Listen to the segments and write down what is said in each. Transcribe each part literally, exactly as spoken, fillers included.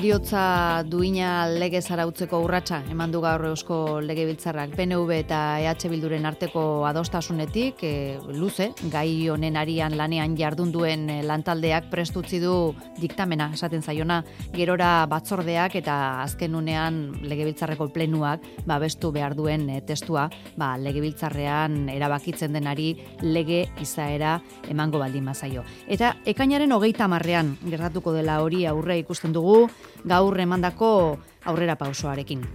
Heriotza duina lege zarautzeko urratsa eman du gaur Eusko Legebiltzarrak P N V eta E H Bilduren arteko adostasunetik, e, luze, gai honen arian lanean jardun duen lantaldeak prestutzi du diktamena, esaten zaiona, gerora batzordeak eta azken unean Legebiltzarreko plenuak babestu behar duen e, testua, ba, Legebiltzarrean erabakitzen denari lege izaera emango baldin bazaio. Eta ekainaren hogeita hamarrean gertatuko dela hori aurre ikusten dugu, gaur emandako aurrera pausoarekin.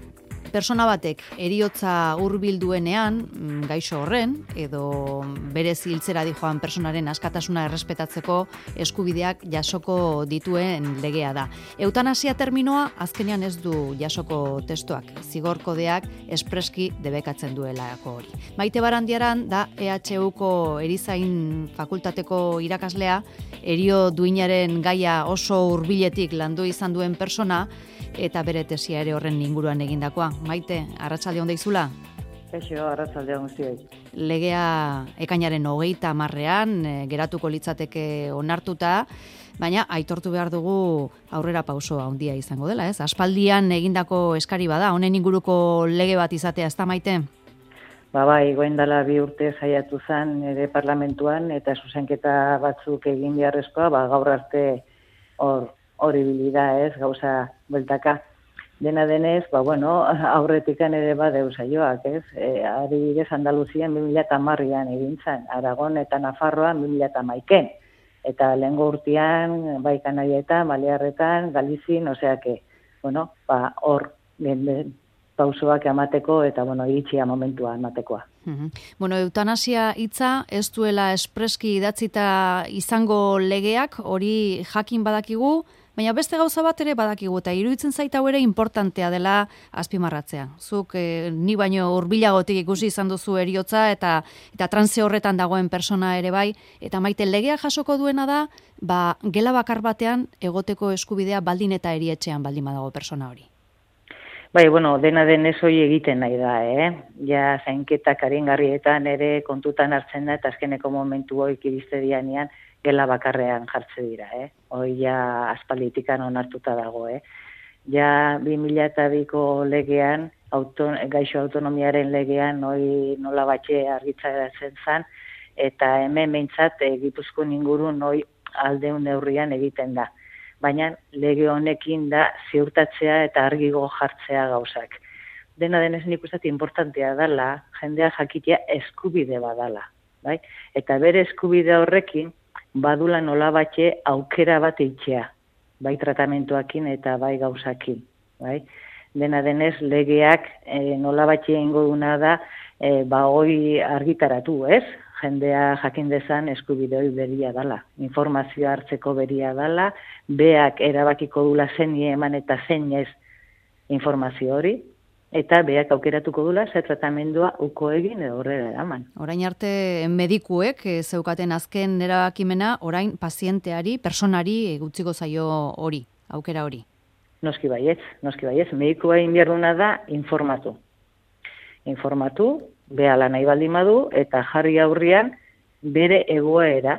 Persona batek heriotza hurbilduenean, gaixo horren, edo berez hiltzera dijoan personaren askatasuna errespetatzeko eskubideak jasoko dituen legea da. Eutanasia terminoa azkenean ez du jasoko testuak, zigor kodeak espreski debekatzen duelako hori. Maite Barandiaran da E H Uko erizain fakultateko irakaslea, herio duinaren gaia oso hurbiletik landu izan duen persona, eta bere tesia ere horren inguruan egindakoa. Maite, arratsalde on deizula? Eixo, arratsalde on guztioi. Legea ekainaren hogeita hamarrean e, geratuko litzateke onartuta, baina aitortu behar dugu aurrera pausoa handia izango dela, ez? Aspaldian egindako eskari bada, honen inguruko lege bat izatea, ez da, Maite? Ba bai, goen dela bi urte saiatu zen ere parlamentuan, eta zuzenketa batzuk egin beharrezkoa, ba, gaur arte hor horibilida, ez, gauza bueltaka. Dena denez, ba, bueno, aurretikan ere badeu saioak, ez? E, adibidez, Andaluzian bi mila hamarrean egin zen, Aragon eta Nafarroan bi mila hamaika. Eta lehengo urtean, bai Kanarietan, Balearretan, Galizien, oseake, bueno, ba, hor, pausoak emateko eta, bueno, iritsia momentua ematekoa. Uhum. Bueno, eutanasia hitza ez duela espreski idatzita izango legeak, hori jakin badakigu, baina beste gauza bat ere badakigu, eta iruditzen zaita ere importantea dela azpimarratzea. Zuk eh, ni baino hurbilagotik ikusi izan duzu heriotza eta eta transe horretan dagoen persona ere bai, eta Maite, legea jasoko duena da, ba, gela bakar batean egoteko eskubidea baldin eta erietxean baldin badago persona hori. Bai, bueno, dena denez hori egiten nahi da, eh? Ja, zainketak aringarrietan ere kontutan hartzen da, eta azkeneko momentu hoik iriste dianean gela bakarrean jartze dira, eh? Hoi ja aspalditikan onartuta dago, eh? Ja, bi mila biko legean, auton, gaixo autonomiaren legean, hoi nola batxe argitzaratzen zan, eta hemen behintzat e, Gipuzkoan ingurun hoi aldeun neurrian egiten da. Baina lege honekin da ziurtatzea eta argigo jartzea gauzak. Dena denez nik uste importantea dela, jendea jakitea eskubide badala. Bai? Eta bere eskubide horrekin, badula nola batxe aukera bat eitxea. Bai tratamentuakin eta bai gauzakin. Bai? Dena denez legeak e, nola batxe ingo duna da, e, ba hoi argitaratu, ez? Jendea jakin dezan eskubide hori beria dala. Informazioa hartzeko beria dala, beak erabakiko dula zein eman eta zein ez informazio hori, eta beak aukeratuko dula ze tratamendua uko egin edo horrela eraman. Orain arte medikuek e, zeukaten azken erabakimena, orain pazienteari, personari gutziko zaio hori, aukera hori. Noski baietz, noski baietz. Medikua inbierduna da informatu. Informatu, behala nahi baldin badu, eta jarri aurrian bere egoera,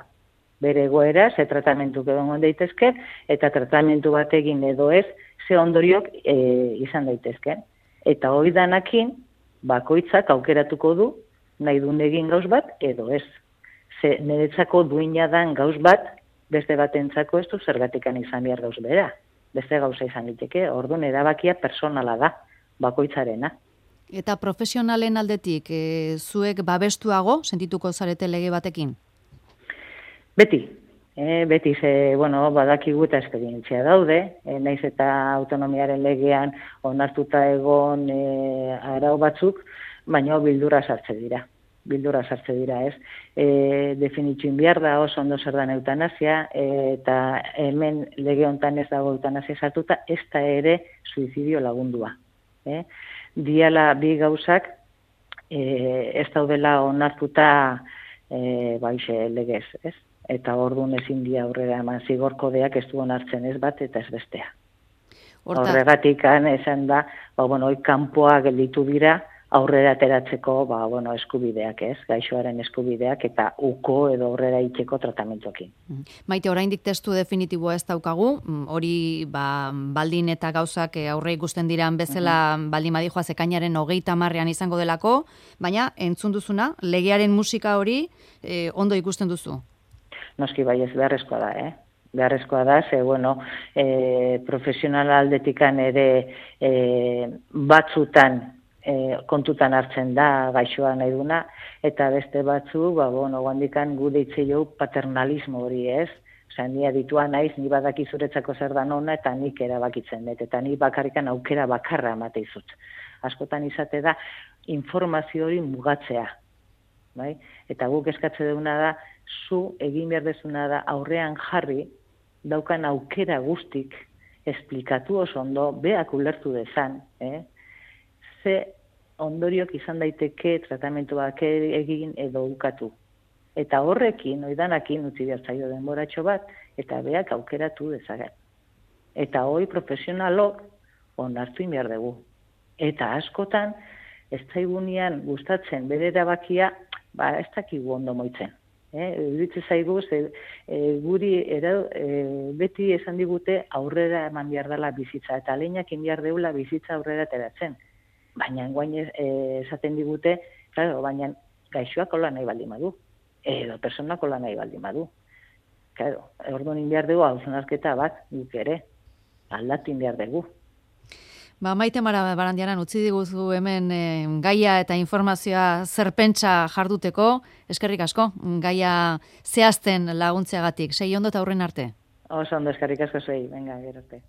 bere egoera, ze tratamentu egon daitezke, eta tratamentu bat egin edo ez, ze ondoriok e, izan daitezke. Eta hori danakin, bakoitzak aukeratuko du, nahi duen egin gauz bat, edo ez. Ze niretzako duina dan gauz bat, beste batentzako ez du zergatikan izan behar gauz bera. Beste gauza izan liteke, orduan erabakia personala da, bakoitzarena. Eta profesionalen aldetik, e, zuek babestuago sentituko zarete lege batekin? Beti. E, beti ze, bueno, badakigu eta esperientzia daude, e, naiz eta autonomiaren legean onartuta egon e, arau batzuk, baina bildura sartze dira. Bildura sartze dira, ez? E, definitxuin behar da oso ondo zer da eutanasia, e, eta hemen lege hontan ez dago eutanasia sartuta, ez da ere suizidio lagundua. Eh? Diala bi gauzak e, ez daudela onartuta e, baixe legez, ez? Eta orduan ezin dia aurrera eman zigor kodeak ez du onartzen ez bat eta ez bestea. Horregatik esan da, ba, bueno, hoi kanpoa gelditu dira aurrera ateratzeko, ba, bueno, eskubideak, ez, gaixoaren eskubideak eta uko edo aurrera itxeko tratamentuekin. Maite, oraindik testu definitiboa ez daukagu, hori ba, baldin eta gauzak aurre ikusten diran bezala uh-huh. baldin badijoaz ekainaren hogeita hamarrean izango delako, baina entzun duzuna, legearen musika hori eh, ondo ikusten duzu? Noski bai, ez beharrezkoa da, eh? Beharrezkoa da, ze, bueno, e, profesional aldetikan ere e, batzutan e, kontutan hartzen da gaixoa nahi duna, eta beste batzu, ba, bueno, guandikan gu deitze jo paternalismo hori, ez? Osa, ni aditua naiz, ni badaki zuretzako zer dan ona, eta nik erabakitzen dut, eta ni bakarrikan aukera bakarra emate izut. Askotan izate da, informazio hori mugatzea, bai? Eta guk eskatze duguna da, zu egin behar dezuna da aurrean jarri, daukan aukera guztik, esplikatu oso ondo, beak ulertu dezan, eh? Ze ondoriok izan daiteke tratamentuak egin edo ukatu. Eta horrekin, oidanakin, utzi bertzaio denboratxo bat, eta beak aukeratu dezagen. Eta hoi profesionalok onartu inbiar dugu. Eta askotan, ez zaigunean gustatzen bere erabakia, ba ez dakigu ondo moitzen. Eritze eh, zaigu, ze, e, guri era, e, beti esan digute aurrera eman behar dela bizitza, eta lehenak behar deula bizitza aurrera ateratzen. Baina guain e, esaten digute, claro, baina gaixoak hola nahi baldin badu, edo personak hola nahi baldin badu. Claro, orduan behar dugu hausnarketa bat, guk ere, aldatin behar dugu. Ba, Maite Mara Barandiaran utzi diguzu hemen e, gaia eta informazioa zerpentsa jarduteko, eskerrik asko, gaia zehazten laguntzeagatik, sei ondo eta aurren arte. Oso ondo, eskerrik asko zei, venga, gero arte.